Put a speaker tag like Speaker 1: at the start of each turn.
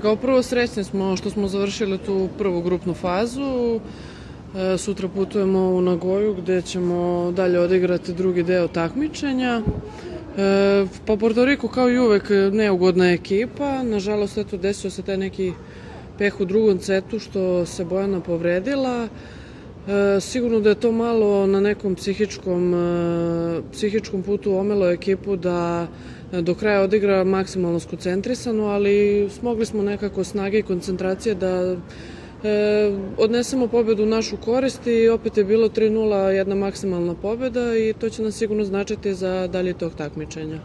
Speaker 1: Kao prvo srećni smo što smo završili tu prvu grupnu fazu. Sutra putujemo u Nagoju gde ćemo dalje odigrati drugi deo takmičenja. Pa Porto Riko kao i uvek neugodna ekipa. Nažalost, eto, desio se taj neki peh u drugom setu što se Bojana povredila. Sigurno da je to malo na nekom psihičkom putu omelo ekipu da do kraja odigra maksimalno skoncentrisano, ali smogli smo nekako snage i koncentracije da odnesemo pobedu u našu korist i opet je bilo 3:0 jedna maksimalna pobeda i to će nas sigurno značiti za dalje tog takmičenja.